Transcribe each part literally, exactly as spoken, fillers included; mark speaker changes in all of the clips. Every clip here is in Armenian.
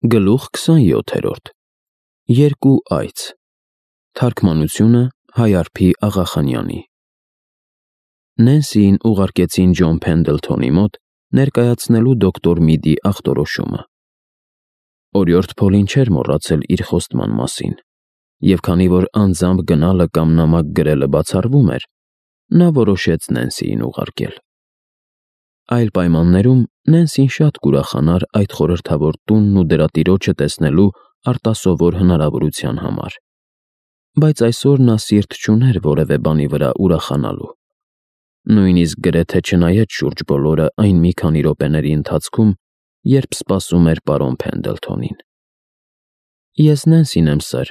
Speaker 1: Գլուխ քսանյոթերորդ Երկու այց Թարգմանությունը Հայարփի Աղախանյանի Նենսիին ուղարկեցին Ջոն Փենդլթոնի մոտ ներկայացնելու դոկտոր Միդի ախտորոշումը։ Օրիորդ Փոլին չէր մոռացել իր խոստման մասին, և քանի որ անձամբ գնալը կամ նամակ գրելը բացառվում էր, նա որոշեց Նենսիին ուղարկել։ Այլ պայմաններում Նենսին շատ կուրախանար այդ խորհրդավոր տունն ու դրա տիրոջը տեսնելու արտասովոր հնարավորության համար, բայց այսօր նա սիրտ չուներ որևէ բանի վրա ուրախանալու, նույնիսկ գրեթե չնայեց շուրջ բոլորը այն մի քանի րոպեների ընթացքում, երբ սպասում էր պարոն Փենդլթոնին։ «Ես Նենսին եմ, սըր»,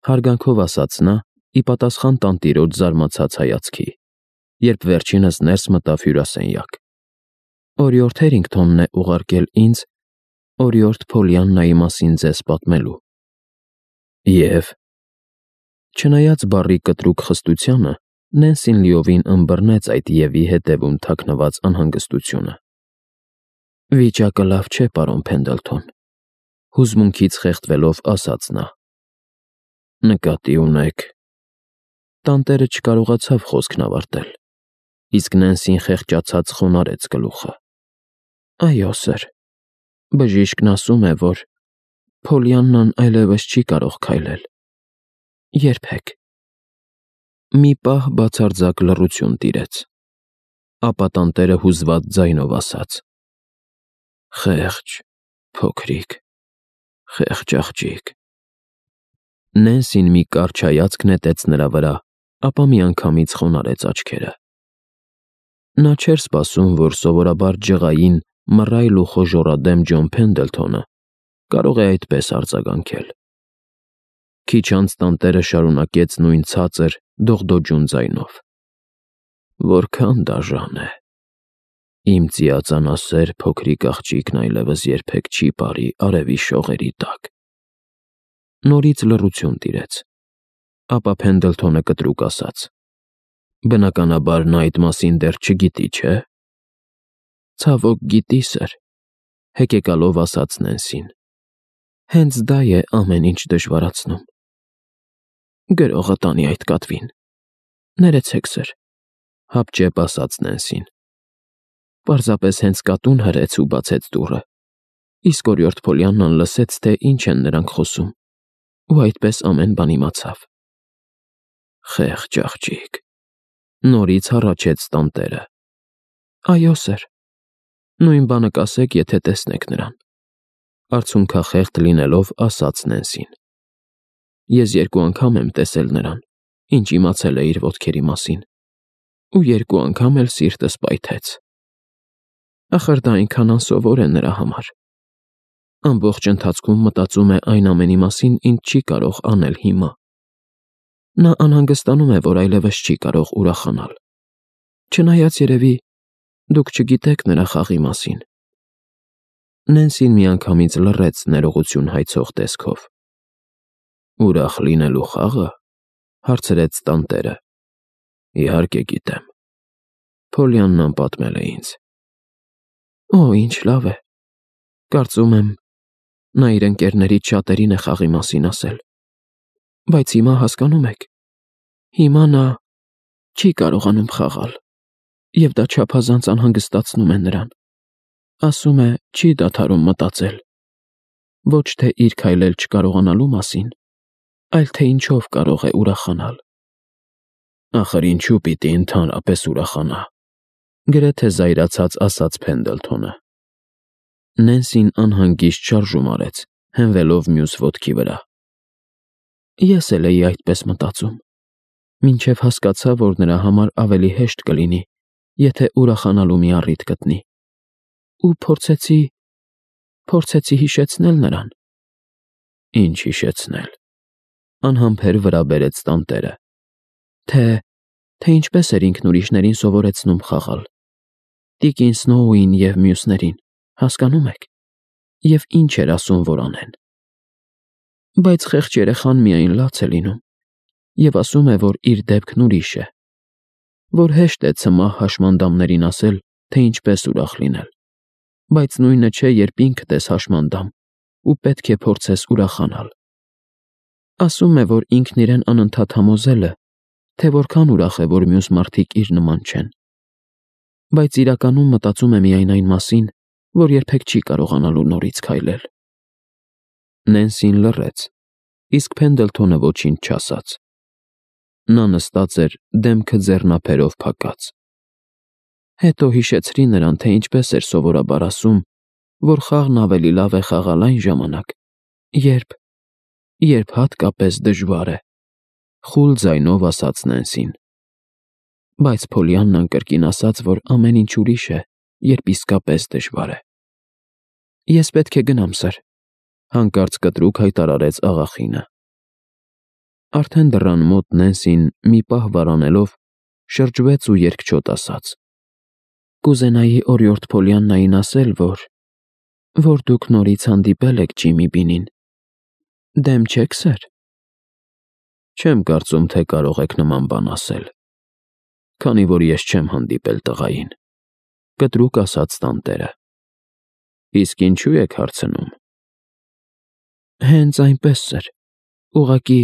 Speaker 1: հարգանքով ասաց նա՝ ի պատասխան տանտիրոջ զարմացած հայացքի, երբ վերջինս ներս մտավ հյուրասենյակ։ «Օրիորդ Հերինգթոնն է ուղարկել ինձ օրիորդ Փոլիաննայի մասին ձեզ պատմելու»։ Եվ… Չնայած բառի կտրուկ խստությանը, Նենսին լիովին ըմբռնեց այդ «և»-ի հետևում թաքնված անհանգստությունը։ «Վիճակը լավ չէ, պարոն Փենդլթոն», հուզմունքից խեղդվելով ասաց նա։ «Նկատի ունեք…» Տանտերը չկարողացավ խոսքն ավարտել, իսկ Նենսին խեղճացած խոնարհեց գլուխը։ «Այո, սըր, բժիշկն ասում է, որ Փոլիաննան այլևս չի կարող քայլել… երբեք»։ Մի պահ բացարձակ լռություն տիրեց, ապա տանտերը հուզված ձայնով ասաց. «Խեղճ, փոքրիկ, խեղճ աղջիկ»։ Նենսին մի կարճ հայացք նետեց նրա վրա, ապա միանգամից խոնարհեց աչքերը։ Նա չէր սպասում, որ սովորաբար ջղային, մռայլ ու խոժոռադեմ Ջոն Փենդլթոնը կարող է այդպես արձագանքել։ Քիչ անց տանտերը շարունակեց նույն ցածր, դողդոջուն ձայնով. «Որքան դաժան է… Իմ ծիածանասեր փոքրիկ աղջիկն այլևս երբեք չի ապարի արևի շողերի տակ»։ Նորից լռություն տիրեց, ապա Փենդլթոնը կտրուկ ասաց. «Բնականաբար նա այդ մասին դեռ չգիտի, չէ՞»։ «Ցավոք, գիտի, սըր», հեկեկալով ասաց Նենսին։ «Հենց դա է ամեն ինչ դժվարացնում»։ «Գրողը տանի այդ կատվին»։ «Ներեցեք, սըր», հապճեպ ասաց Նենսին։ «Պարզապես հենց կատուն հրեց ու բացեց դուռը, իսկ օրիորդ Փոլիաննան լսեց, թե ինչ են նրանք խոսում, ու այդպես ամեն բան իմացավ»։ «Խեղճ աղջիկ», նորից հառաչեց տանտերը։ «Այո, սըր, նույն բանը կասեք, եթե տեսնեք նրան», արցունքախեղդ լինելով ասաց Նենսին։ «Ես երկու անգամ եմ տեսել նրան, ինչ իմացել է իր ոտքերի մասին, ու երկու անգամ էլ սիրտս պայթեց։ Ախր դա այնքան անսովոր է նրա համար։ Ամբողջ ընթացքում մտածում է այն ամենի մասին, ինչ չի կարող անել հիմա։ Նա անհանգստանում է, որ այլևս չի կարող ուրախանալ, չնայած երևի դուք չգիտեք նրա խաղի մասին»։ Նենսին միանգամից լռեց ներողություն հայցող տեսքով։ «Ուրախ լինելու խաղը»։ Հարցրեց տանտերը։ «Իհարկե գիտեմ. Փոլիաննան պատմել է ինձ»։ «Օ, ինչ լավ է։ Կարծում եմ, նա իր ընկերներից շատերին է խաղի մասին ասել։ Բայց հիմա, հասկանում եք, հիմա նա չի կարողանում խաղալ, և դա չափազանց անհանգստացնում է նրան։ Ասում է, չի դադարում մտածել, ոչ թե իր քայլել չկարողանալու մասին, այլ թե ինչով կարող է ուրախանալ»։ «Ախր ինչու պիտի ընդհանրապես ուրախանա», գրեթե զայրացած ասաց Փենդլթոնը։ Նենսին անհանգիստ շարժում արեց, հենվելով մյուս ոտքի վրա։ «Ես էլ էի այդպես մտածում, մինչև հասկացա, որ նրա համար ավելի հեշտ կլինի, եթե ուրախանալու մի առիթ գտնի, ու փորձեցի… փորձեցի հիշեցնել նրան»։ «Ինչ հիշեցնել»։ Անհամբեր վրա բերեց տանտերը։ «Թե… թե ինչպես էր ինքն ուրիշներին սովորեցնում խաղալ, տիկին Սնոուին և մյուսներին, հասկանո՞ւմ եք, և ինչ էր ասում, որ անեն։ Բայց խեղճ երեխան միայն լաց է լինում, և ասում է, որ իր դեպքն ուրիշ է, որ հեշտ է ցմահ հաշմանդամներին ասել, թե ինչպես ուրախ լինել, բայց նույնը չէ, երբ ինքդ ես հաշմանդամ ու պետք է փորձես ուրախանալ։ Ասում է, որ ինքն իրեն անընդհատ համոզել է, թե որքան ուրախ է, որ մյուս մարդիկ իր նման չեն։ Բայց իրականում մտածում է միայն այն մասին, որ երբեք չի կարողանալու նորից քայլել։ Նենսին լռեց, իսկ Փենդլթոնը ոչինչ չասաց։ Նա նստած էր, դեմքը ձեռնափերով փակած։ Հետո հիշեցրի նրան, թե ինչպես էր սովորաբար ասում, որ խաղն ավելի լավ է խաղալ այն ժամանակ, երբ, երբ հատկապես դժվար է, խուլ ձայնով ասաց Նենսին։ Բայց Փոլիաննան կրկին ասաց, որ ամեն ինչ ուրիշ է, երբ իսկապես դժվար է։ Ես պետք է գնամ, սըր, հանկարծ կտրուկ հայտարարեց աղախինը։ Արդեն դռան մոտ Նենսին, մի պահ վարանելով, շրջվեց ու երկչոտ ասաց. Կուզենայի օրիորդ Փոլիաննային ասել, որ որ դուք նորից հանդիպել եք Ջիմի Բինին։ Դեմ չեք, սըր։ Չեմ կարծում, թե կարող եք նման բան ասել, քանի որ ես չեմ հանդիպել տղային, կտրուկ ասաց տանտերը։ Իսկ ինչու եք հարցնում։ Հենց այնպես, սըր, ուղղակի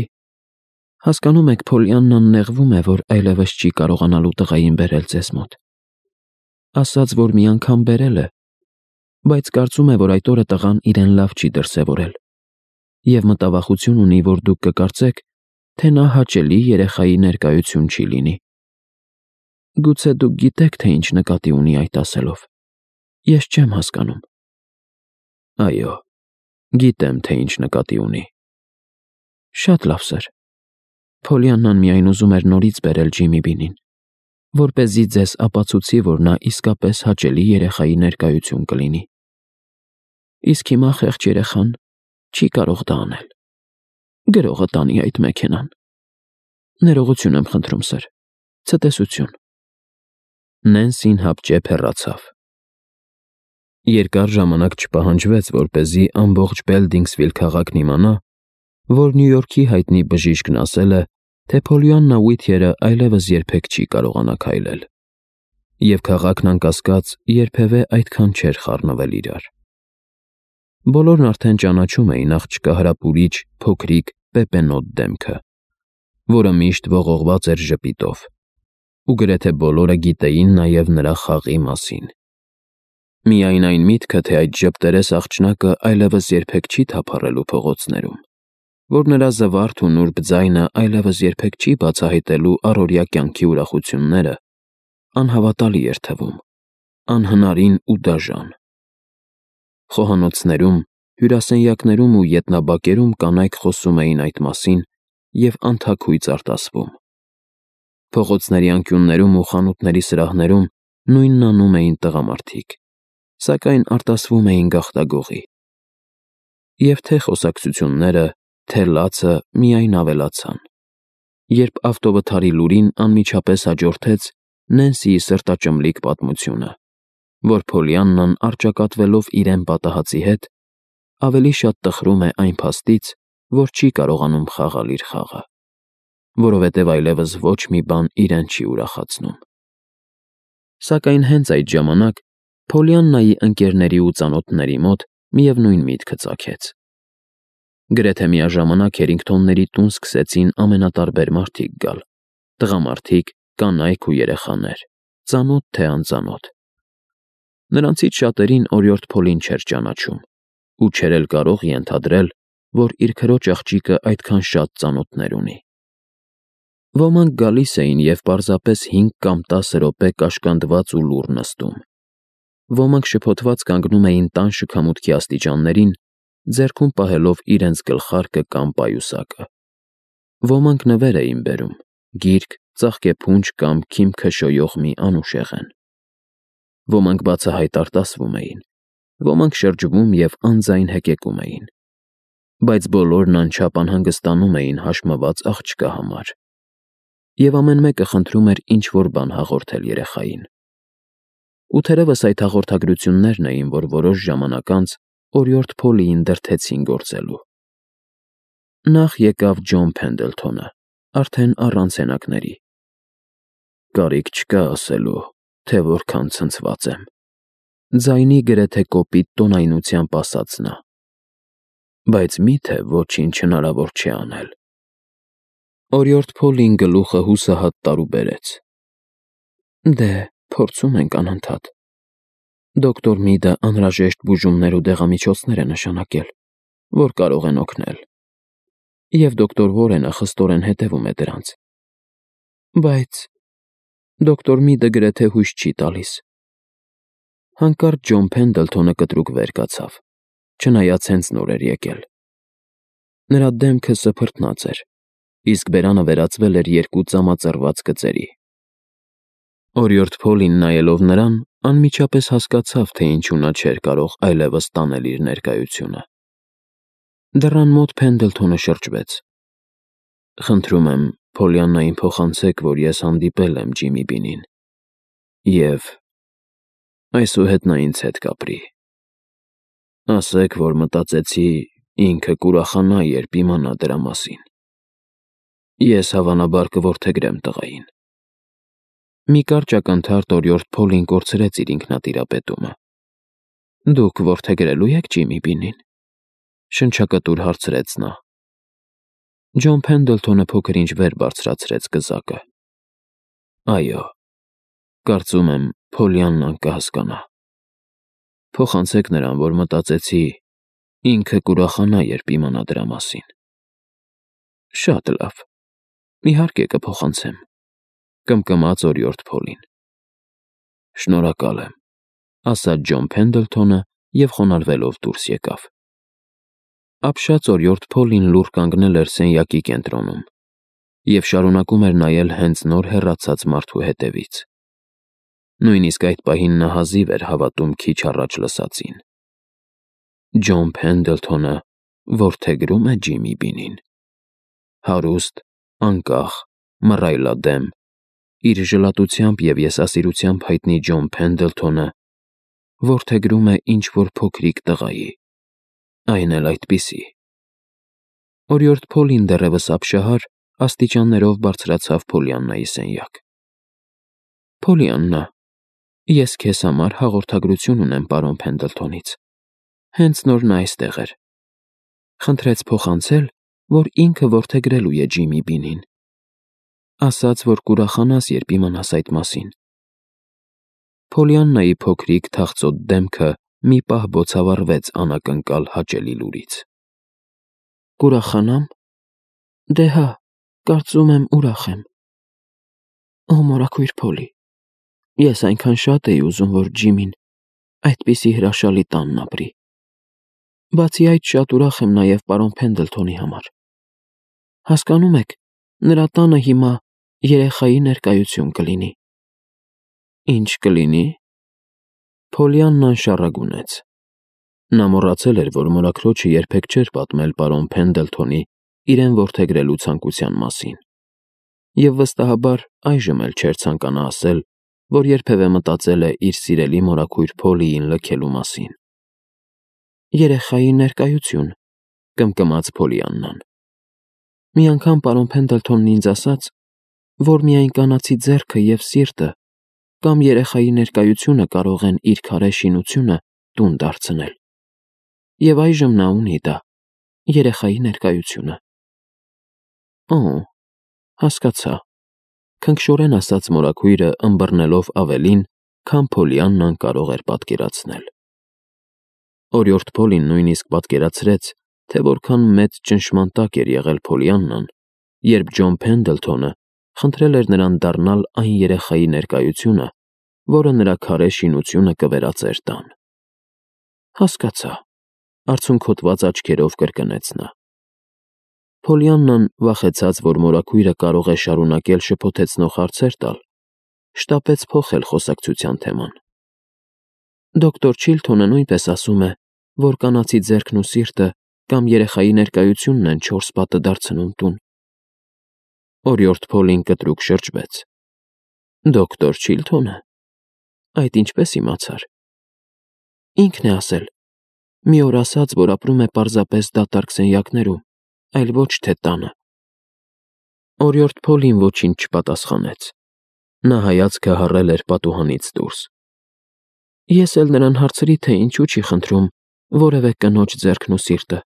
Speaker 1: հասկանում եք, Փոլիաննան նեղվում է, որ այլևս չի կարողանալու տղային բերել ձեզ մոտ։ Ասաց, որ մի անգամ բերել է, բայց կարծում է, որ այդ օրը տղան իրեն լավ չի դրսևորել, և մտավախություն ունի, որ դուք կկարծեք, թե նա հաճելի երեխայի ներկայություն չի լինի։ Գուցե դուք գիտեք, թե ինչ նկատի ունի այդ ասելով։ Ես չեմ հասկանում։ Այո, գիտեմ, թե ինչ նկատի ունի։ Շատ լավ, սըր։ Փոլիաննան միայն ուզում էր նորից բերել Ջիմի Բինին, որպեսզի ձեզ ապացուցի, որ նա իսկապես հաճելի երեխայի ներկայություն կլինի։ Իսկ հիմա խեղճ երեխան չի կարող դա անել։ Գրողը տանի այդ մեքենան։ Ներողություն եմ խնդրում, սըր։ Ցտեսություն։ Նենսին հապճեպ հեռացավ։ Երկար ժամանակ չպահանջվեց, որպեսզի ամբողջ Բելդինգսվիլ քաղաքն իմանա, որ Նյու Յորքի հայտնի բժիշկն ասել է, թե Փոլիաննա Ուիթյերը այլևս երբեք չի կարողանա քայլել, և քաղաքն անկասկած երբևէ այդքան չէր խառնվել իրար։ Բոլորն արդեն ճանաչում էին աղջկա հրապուրիչ, փոքրիկ, պեպենոտ դեմքը, որը միշտ ողողված էր ժպիտով, ու գրեթե բոլորը գիտեին նաև նրա խաղի մասին։ Միայն այն միտքը, թե այդ ժպտերես աղջնակը այլևս երբեք չի թափառելու փողոցներում, որ նրա զվարթ ու նուրբ ձայնը այլևս երբեք չի բացահայտելու առօրյա կյանքի ուրախությունները, անհավատալի էր թվում, անհնարին ու դաժան։ Խոհանոցներում, հյուրասենյակներում ու ետնաբակերում կանայք խոսում էին այդ մասին և անթաքույց արտասվում։ Փողոցների անկյուններում ու խանութների սրահներում նույնն անում էին տղամարդիկ, սակայն արտասվում էին գաղտագողի։ Եվ թե խոսակցությունները, թե լացը միայն ավելացան, երբ ավտովթարի լուրին անմիջապես հաջորդեց Նենսիի սրտաճմլիկ պատմությունը, որ Փոլիաննան առճակատվելով իրեն պատահածի հետ, ավելի շատ տխրում է այն փաստից, որ չի կարողանում խաղալ իր խաղը, որովհետև այլևս ոչ մի բան իրեն չի ուրախացնում։ Սակայն հենց այդ ժամանակ Փոլիաննայի ընկերների ու ծանոթների մոտ միևնույն միտքը ծագեց։ Գրեթե միաժամանակ Հերինգթոնների տուն սկսեցին ամենատարբեր մարդիկ գալ՝ տղամարդիկ, կանայք ու երեխաներ, ծանոթ թե անծանոթ։ Նրանցից շատերին օրիորդ Փոլին չէր ճանաչում ու չէր էլ կարող ենթադրել, որ իր քրոջ աղջիկը այդքան շատ ծանոթներ ունի։ Ոմանք գալիս էին և պարզապես հինգ կամ տասը րոպե կաշկանդված ու լուռ նստում։ Ոմանք շփոթված կանգնում էին տան շքամուտքի աստիճաններին, ձեռքում պահելով իրենց գլխարկը կամ պայուսակը։ Ոմանք նվեր էին բերում, գիրք, ծաղկեփունջ կամ քիմք քշոյող մի անուշեղեն։ Ոմանք բացահայտ արտասվում էին, ոմանք շրջվում և անձայն հեկեկում էին, բայց բոլորն անչափ անհանգստանում էին հաշմված աղջկա համար, և ամեն մեկը խնդրում էր ինչ-որ բան հաղորդել երեխային։ Ու թերևս այդ հաղորդագրություններն էին, որ որոշ ժամանակ անց օրիորդ Փոլիին դրդեցին գործելու։ Նախ եկավ Ջոն Փենդլթոնը, արդեն առանց հենակների։ Կարիք չկա ասելու, թե որքան ցնցված եմ, ձայնի գրեթե կոպիտ տոնայնությամբ ասաց նա։ բայց միթե ոչինչ հնարավոր չի անել։ Օրիորդ Փոլին գլուխը հուսահատ տարուբերեց։ Դե, փորձում ենք անընդհատ։ Դոկտոր Միդը անհրաժեշտ բուժումներ ու դեղամիջոցներ է նշանակել, որ կարող են օգնել։ Եվ դոկտոր Վորենը խստորեն հետևում է դրանց։ Բայց դոկտոր Միդը գրեթե հույս չի տալիս։ Հանկարծ Ջոն Փենդլթոնը կտրուկ վեր կացավ, չնայած հենց նոր էր եկել։ Նրա դեմքը սփռտնած էր, իսկ բերանը վերածվել էր երկու ծամածռված գծերի։ Օրիորդ Փոլին նայելով նրան, անմիջապես հասկացավ, թե ինչու նա չէր կարող այլևս տանել իր ներկայությունը։ Դռան մոտ Փենդլթոնը շրջվեց։ Խնդրում եմ, Փոլիաննային փոխանցեք, որ ես հանդիպել եմ Ջիմի Բինին, և այսուհետ նա ինձ հետ կապրի։ Ասեք, որ մտածեցի ինքը կուրախանա, երբ իմանա դրա մասին։ Ես հավանաբար կորդեգրեմ տղային։ Մի կարճ ակնթարթ օրիորդ Փոլին կորցրեց իր ինքնատիրապետումը։ Դուք որդեգրելու եք Ջիմի Բինին, շնչակտուր հարցրեց նա։ Ջոն Փենդլթոնը փոքր-ինչ վեր բարձրացրեց կզակը։ Այո, կարծում եմ, Փոլիաննան կհասկանա։ Փոխանցեք նրան, որ մտածեցի ինքը կուրախանա, երբ իմանա դրա մասին։ Շատ լավ, իհարկե կփոխանցեմ, կմկմաց օրիորդ Փոլին։ Շնորհակալ եմ, ասաց Ջոն Փենդլթոնը և խոնարհվելով դուրս եկավ։ Ապշած օրիորդ Փոլին լուռ կանգնել էր սենյակի կենտրոնում և շարունակում էր նայել հենց նոր հեռացած մարդու հետևից։ Նույնիսկ այդ պահին նա հազիվ էր հավատում քիչ առաջ լսածին։ Ջոն Փենդլթոնը որդեգրում է Ջիմի Բինին։ Հարուստ, անկախ, մռայլադեմ, իր ժլատությամբ և եսասիրությամբ հայտնի Ջոն Փենդլթոնը որդեգրում է ինչ-որ փոքրիկ տղայի, այն էլ այդպիսի։ Օրիորդ Փոլին դեռևս ապշահար աստիճաններով բարձրացավ Փոլիաննայի սենյակ։ Փոլիաննա, ես քեզ համար հաղորդագրություն ունեմ պարոն Փենդլթոնից։ Հենց նոր նա այստեղ էր։ Խնդրեց փոխանցել, որ ինքը որդեգրելու է Ջիմի Բինին։ Ասաց, որ կուրախանաս, երբ իմանաս այդ մասին։ Փոլիաննայի փոքրիկ թախծոտ դեմքը մի պահ բոցավառվեց անակնկալ հաճելի լուրից։ Կուրախանամ։ Դե հա, կարծում եմ ուրախ եմ։ Օ, մորաքույր Փոլի, ես այնքան շատ էի ուզում, որ Ջիմին այդպիսի հրաշալի տանն ապրի։ Բացի այդ, շատ ուրախ եմ նաև պարոն Փենդլթոնի համար։ Հասկանում եք, նրա տանը հիմա երեխայի ներկայություն կլինի։ Ինչ կլինի։ Փոլիաննան շառագունեց։ Նա մոռացել էր, որ մորաքրոջը երբեք չէր պատմել պարոն Փենդլթոնի իրեն որդեգրելու ցանկության մասին։ Եվ վստահաբար այժմ էլ չէր ցանկանա ասել, որ երբևէ մտածել է իր սիրելի մորաքույր Փոլիին լքելու մասին։ Երեխայի ներկայություն, կմկմաց Փոլիաննան։ Մի անգամ պարոն Փենդլթոնն ինձ ասաց, որ միայն կանացի ձեռքը և սիրտը կամ երեխայի ներկայությունը կարող են իր քարե շինությունը տուն դարձնել։ Եվ այժմ նա ունի դա, երեխայի ներկայությունը։ Օ, հասկացա, քնքշորեն ասաց մորաքույրը, ըմբռնելով ավելին, քան Փոլիաննան կարող էր պատկերացնել։ Օրիորդ Փոլին նույնիսկ պատկերացրեց, թե որքան մեծ ճնշման տակ էր եղել Փոլիաննան, երբ Ջոն Փենդլթոնը խնդրել էր նրան դառնալ այն երեխայի ներկայությունը, որը նրա քարե շինությունը կվերածեր տան։ Հասկացա, արցունքոտված աչքերով կրկնեց նա։ Փոլիաննան, վախեցած, որ մորաքույրը կարող է շարունակել շփոթեցնող հարցեր տալ, շտապեց փոխել խոսակցության թեման։ Դոկտոր Չիլթոնը նույնպես ասում է, որ կանացի ձեռքն ու սիրտը կամ երեխայի ներկայությունն են չորս պատը դարձնում տուն։ Օրիորդ Փոլին կտրուկ շրջվեց։ Դոկտոր Չիլթոնը։ Այդ ինչպես իմացար։ Ինքն է ասել։ Մի օր ասաց, որ ապրում է պարզապես դատարկ սենյակներում, այլ ոչ թե տանը։ Օրիորդ Փոլին ոչինչ չպատասխանեց։ Նա հայացքը հառել էր պատուհանից դուրս։ Ես էլ նրան հարցրի, թե ինչու չի խնդրում որևէ կնոջ ձեռքն ու սիրտը,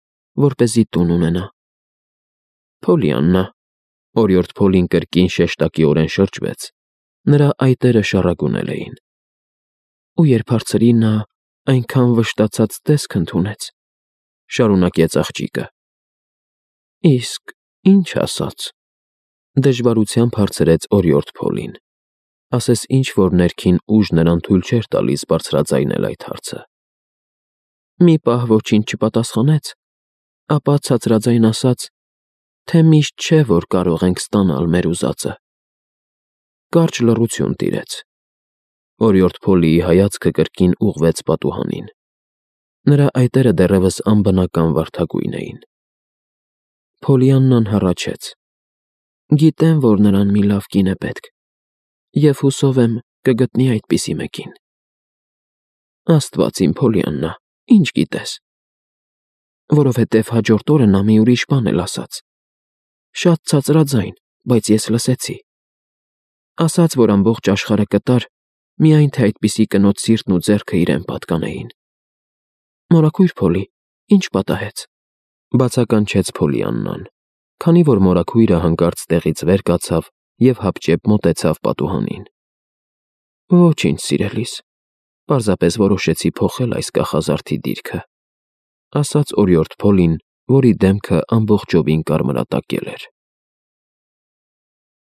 Speaker 1: որպեսզի տուն ունենա։ Փոլիաննա, օրիորդ Փոլին կրկին շեշտակիորեն շրջվեց, նրա այտերը շառագունել էին։ Ու երբ հարցրի, նա այնքան վշտացած տեսք ընդունեց, շարունակեց աղջիկը։ Իսկ ինչ ասաց։ Դժվարությամբ հարցրեց օրիորդ Փոլին։ Ասես ինչ-որ ներքին ուժ նրան թույլ չէր տալիս բարձրաձայնել այդ հարցը։ Մի պահ ոչինչ չպատասխանեց, ապա ցածրաձայն ասաց, թե միշտ չէ, որ կարող ենք ստանալ մեր ուզածը։ Կարճ լռություն տիրեց։ Օրիորդ Փոլիի հայացքը կրկին ուղղվեց պատուհանին։ Նրա այտերը դեռևս անբնական վարդագույն էին։ Փոլիաննան հառաչեց. Գիտեմ, որ նրան մի լավ կին է պետք, և հուսով եմ կգտնի այդպիսի մեկին։ Աստված իմ, Փոլիաննա, ինչ գիտես։ Որովհետև հաջորդ օրը նա մի ուրիշ բան էլ ասաց։ Շատ ցածրաձայն, բայց ես լսեցի։ Ասաց, որ ամբողջ աշխարհը կտար, միայն թե այդպիսի կնոջ սիրտն ու ձեռքը իրեն պատկանեին։ Մորաքույր Փոլի, ինչ պատահեց։ Բացականչեց Փոլիաննան, քանի որ մորաքույրը հանկարծ տեղից վեր կացավ և հապճեպ մոտեցավ պատուհանին։ Ոչինչ, սիրելիս, պարզապես որոշեցի փոխել այս կախազարդի դիրքը, ասաց օրիորդ Փոլին, որի դեմքը ամբողջովին կարմրատակել էր։